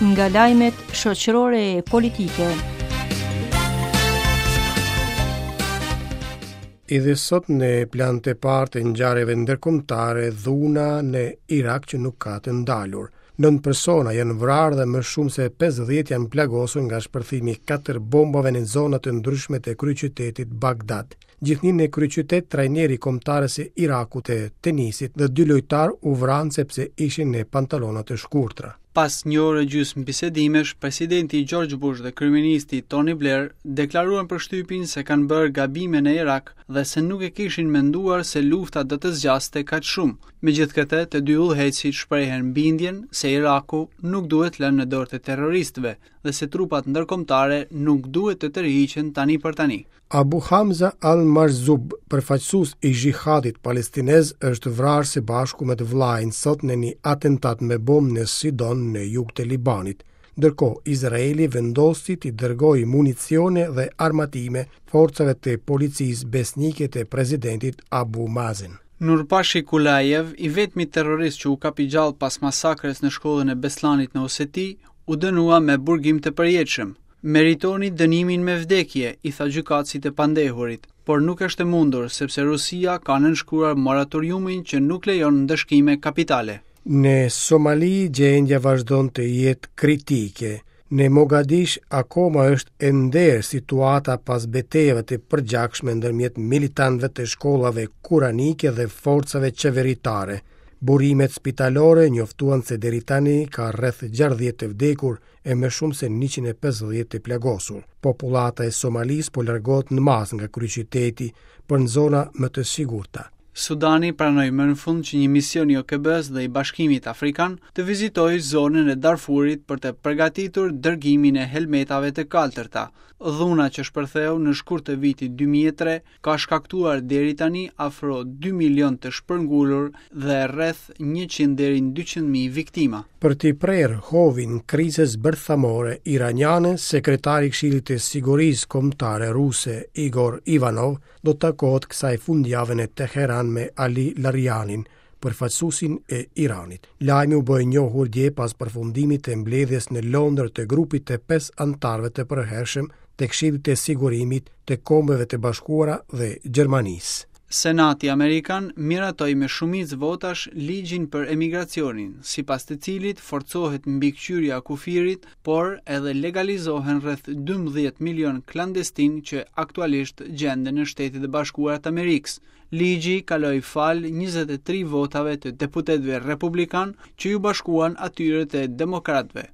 Nga lajmet shoqërore e politike. Edhe sot në plan të parë të ngjarjeve ndërkombëtare dhuna në Irak që nuk ka të ndalur. Nëntë persona janë vrarë dhe më shumë se 50 janë plagosur nga shpërthimi i katër bombave në zona të ndryshme të kryeqytetit Bagdad. Gjithnjë në kryeqytet trajneri i kombëtares së Irakut të tenisit dhe dy lojtarë u vranë sepse ishin në pantallona të shkurtra. Pas një ore e gjysmë bisedimesh, presidenti George Bush dhe kryeministri Tony Blair deklaruan për shtypin se kanë bërë gabime në Irak dhe se nuk e kishin menduar se lufta do të zgjaste kaq shumë. Megjithëkëtë, të dy udhëheqësit shprehën bindjen se Iraku nuk duhet lënë në dorë të terroristëve dhe se trupat ndërkombëtare nuk duhet të tërhiqen tani për tani. Abu Hamza al-Majzub, përfaqësues i xhihadit palestinez, është vrarë së bashku me të vëllain sot në një atentat me bombë në Sidon në jug të Libanit. Ndërkohë, Izraeli vendosi t'i dërgojë municione dhe armatime forcave të policisë besnike të presidentit Abu Mazen. Nurpashi Kulayev, i vetmi terrorist që u kap i gjallë pas masakrës në shkollën e Beslanit në Oseti, u dënua me burgim të përjetshëm. Meritoni dënimin me vdekje, i tha gjykatësi të pandehurit, por nuk është e mundur sepse Rusia ka nënshkruar moratoriumin që nuk lejon ndëshkime kapitale. Në Somali gjendja vazhdon të jetë kritike. Në Mogadish akoma është e nderë situata pas betejave të përgjakshme ndërmjet militantëve të shkollave kuranike dhe forcave qeveritare. Burimet spitalore njoftuan se deri tani ka rreth 60 të vdekur e më shumë se 150 të plagosur. Popullata e Somalisë po largohet në masë nga kryeqyteti për në zona më të sigurta. Sudani pranoi më në fund që një mision i OKB-së dhe i Bashkimit Afrikan të vizitojë zonën e Darfurit për të përgatitur dërgimin e helmetave të kaltërta. Dhuna që shpërtheu në shkurt të vitit 2003 ka shkaktuar deri tani afro 2 milion të shpërngulur dhe rreth 100 deri në 200 mijë viktima. Për t'i prerë hovin krizës bërthamore iraniane, sekretari i Këshillit të Sigurisë Kombëtare ruse Igor Ivanov do të takohet kësaj fundjave në Teheran me Ali Larijanin, përfaqësuesin e Iranit. Lajmi u bë i njohur dje pas përfundimit të mbledhjes në Londër të grupit të pesë anëtarëve të përhershëm të Këshillit të Sigurimit të Kombeve të Bashkuara dhe Gjermanisë. Senati amerikan miratoi me shumicë votash ligjin për emigracionin, sipas të cilit forcohet mbikëqyrja e kufirit, por edhe legalizohen rreth 12 milion klandestinë që aktualisht gjenden në Shtetet e Bashkuara të Amerikës. Ligji kaloi falë 23 votave të deputetëve republikanë që iu bashkuan atyre të demokratëve.